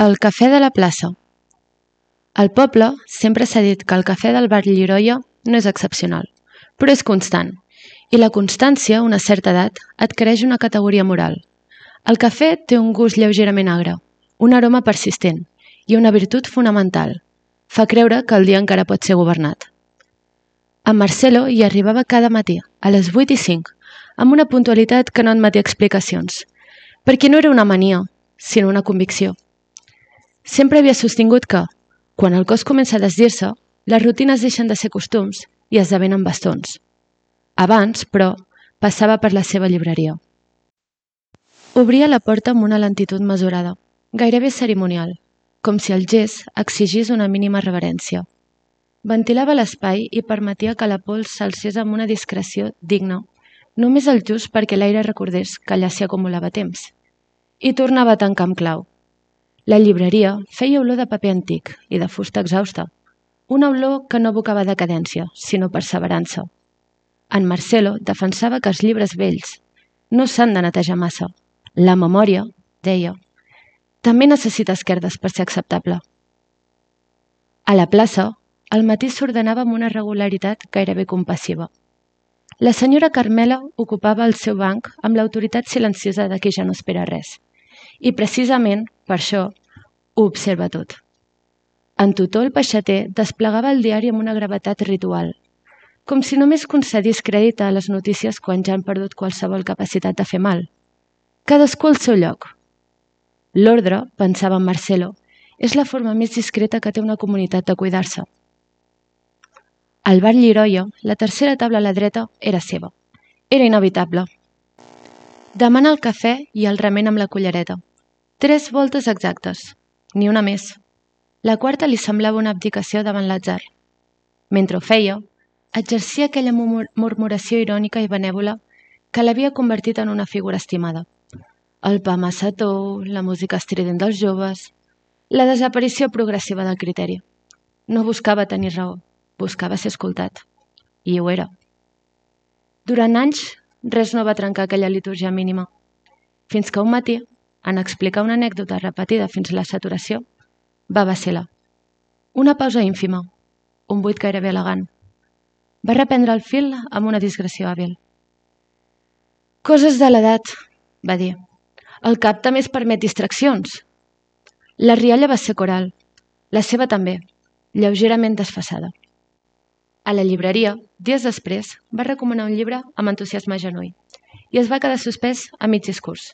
El cafè de la plaça. Al poble sempre s'ha dit que el cafè del bar Lliroia no és excepcional, però és constant, i la constància a una certa edat adquireix una categoria moral. El cafè té un gust lleugerament agre, un aroma persistent i una virtut fonamental. Fa creure que el dia encara pot ser governat. En Marcelo hi arribava cada matí, a les 8:05, amb una puntualitat que no admetia explicacions, perquè no era una mania, sinó una convicció. Sempre havia sostingut que, quan el cos comença a desdir-se, les rutines deixen de ser costums i esdevenen bastons. Abans, però, passava per la seva llibreria. Obria la porta amb una lentitud mesurada, gairebé cerimonial, com si el gest exigís una mínima reverència. Ventilava l'espai i permetia que la pols s'alcés amb una discreció digna, només el just perquè l'aire recordés que allà s'hi acumulava temps. I tornava a tancar amb clau. La llibreria feia olor de paper antic i de fusta exhausta, una olor que no evocava decadència, sinó perseverança. En Marcelo defensava que els llibres vells no s'han de netejar massa. La memòria, deia, també necessita esquerdes per ser acceptable. A la plaça, el matí s'ordenava amb una regularitat gairebé compassiva. La senyora Carmela ocupava el seu banc amb l'autoritat silenciosa de qui ja no espera res. I precisament, per això, ho observa tot. En Tutó el peixater desplegava el diari amb una gravetat ritual, com si només concedís crèdit a les notícies quan ja han perdut qualsevol capacitat de fer mal. Cadascú al seu lloc. L'ordre, pensava en Marcelo, és la forma més discreta que té una comunitat de cuidar-se. Al bar Lliroia, la tercera taula a la dreta era seva. Era inevitable. Demana el cafè i el remena amb la cullereta. 3 voltes exactes, ni una més. La quarta li semblava una abdicació davant l'atzar. Mentre ho feia, exercia aquella murmuració irònica i benèvola que l'havia convertit en una figura estimada. El pa massa tou, la música estrident dels joves, la desaparició progressiva del criteri. No buscava tenir raó, buscava ser escoltat. I ho era. Durant anys, res no va trencar aquella litúrgia mínima. Fins que un matí, en explicar una anècdota repetida fins a la saturació, va vacil·lar. Una pausa ínfima, un buit gairebé elegant. Va reprendre el fil amb una digressió hàbil. Coses de l'edat, va dir. El cap també es permet distraccions. La rialla va ser coral, la seva també, lleugerament desfasada. A la llibreria, dies després, va recomanar un llibre amb entusiasme genuí i es va quedar suspès a mig discurs.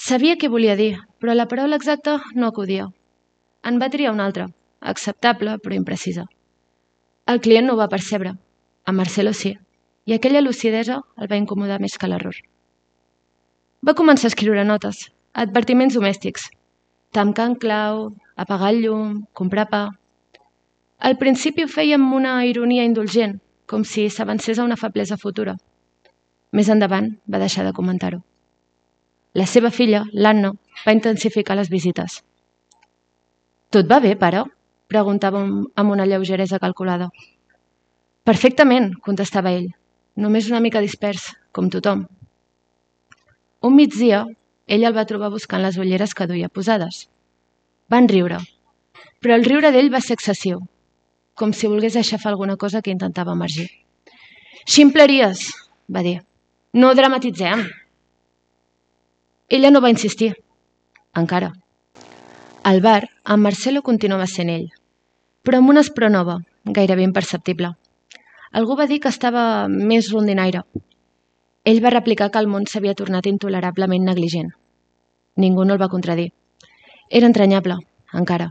Sabia què volia dir, però la paraula exacta no acudia. En va triar una altra, acceptable però imprecisa. El client no ho va percebre, a Marcelo sí, i aquella lucidesa el va incomodar més que l'error. Va començar a escriure notes, advertiments domèstics, tancar en clau, apagar el llum, comprar pa. Al principi ho feia amb una ironia indulgent, com si s'avancés a una feblesa futura. Més endavant va deixar de comentar-ho. La seva filla, l'Anna, va intensificar les visites. «Tot va bé, pare?» preguntava amb una lleugeresa calculada. «Perfectament», contestava ell, «només una mica dispers, com tothom». Un migdia, ell el va trobar buscant les ulleres que duia posades. Van riure, però el riure d'ell va ser excessiu, com si volgués aixafar alguna cosa que intentava emergir. «Ximpleries», va dir, «no dramatitzem». Ella no va insistir, encara. Al bar, en Marcelo continuava sent ell, però amb una espror nova, gairebé imperceptible. Algú va dir que estava més rondinaire. Ell va replicar que el món s'havia tornat intolerablement negligent. Ningú no el va contradir. Era entranyable, encara.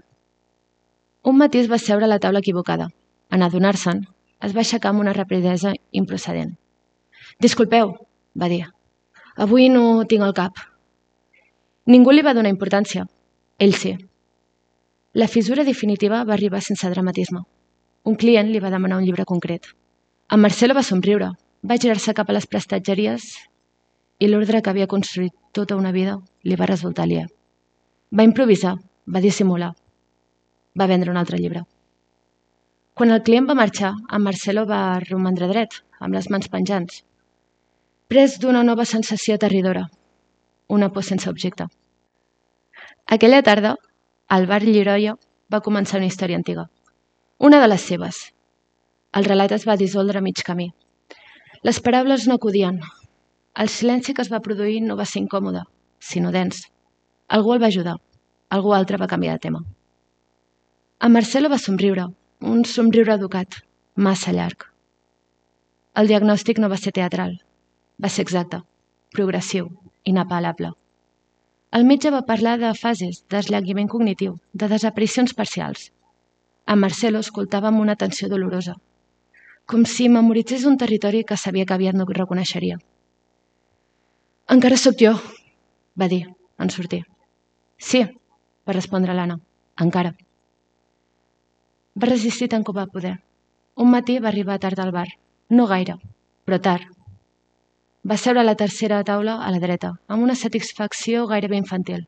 Un matí es va seure a la taula equivocada. En adonar-se'n, es va aixecar amb una rapidesa improcedent. «Disculpeu», va dir. «Avui no tinc el cap». Ningú li va donar importància. Ell sí. La fissura definitiva va arribar sense dramatisme. Un client li va demanar un llibre concret. En Marcelo va somriure, va girar-se cap a les prestatgeries i l'ordre que havia construït tota una vida li va resultar aliè. Va improvisar, va dissimular. Va vendre un altre llibre. Quan el client va marxar, en Marcelo va romandre dret, amb les mans penjants, pres d'una nova sensació aterridora, una por sense objecte. Aquella tarda, al bar Lliroia va començar una història antiga. Una de les seves. El relat es va dissoldre a mig camí. Les paraules no acudien. El silenci que es va produir no va ser incòmode, sinó dens. Algú el va ajudar. Algú altre va canviar de tema. En Marcelo va somriure, un somriure educat, massa llarg. El diagnòstic no va ser teatral. Va ser exacte, progressiu, inapel·lable. El metge va parlar de fases, d'esllanguiment cognitiu, de desaparicions parcials. En Marcelo escoltava amb una atenció dolorosa, com si memoritzés un territori que sabia que aviat no reconeixeria. «Encara sóc jo», va dir, en sortir. «Sí», va respondre l'Anna, «encara». Va resistir tant com va poder. Un matí va arribar tard al bar. No gaire, però tard. Va seure a la tercera taula a la dreta, amb una satisfacció gairebé infantil,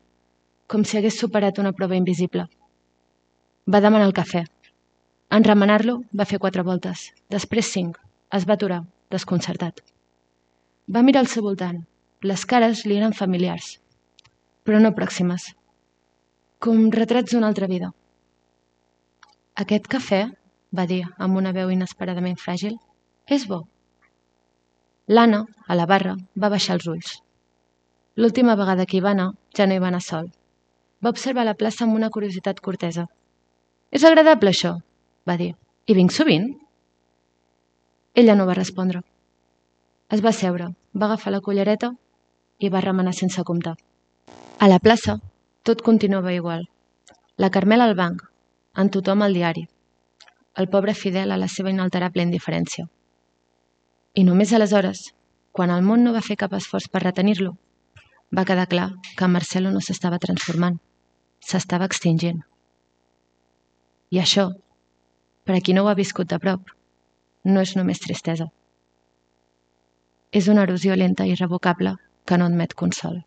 com si hagués superat una prova invisible. Va demanar el cafè. En remenar-lo, va fer 4 voltes, després 5. Es va aturar, desconcertat. Va mirar al seu voltant. Les cares li eren familiars, però no pròximes, com retrats d'una altra vida. «Aquest cafè», va dir amb una veu inesperadament fràgil, «és bo». L'Anna, a la barra, va baixar els ulls. L'última vegada que hi va anar, ja no hi va anar sol. Va observar la plaça amb una curiositat cortesa. «És agradable, això», va dir. «Hi vinc sovint?» Ella no va respondre. Es va seure, va agafar la cullereta i va remenar sense comptar. A la plaça, tot continuava igual. La Carmela al banc, en tothom al diari. El pobre Fidel a la seva inalterable indiferència. I només aleshores, quan el món no va fer cap esforç per retenir-lo, va quedar clar que Marcelo no s'estava transformant, s'estava extingint. I això, per a qui no ho ha viscut de prop, no és només tristesa. És una erosió lenta i irrevocable que no admet consol.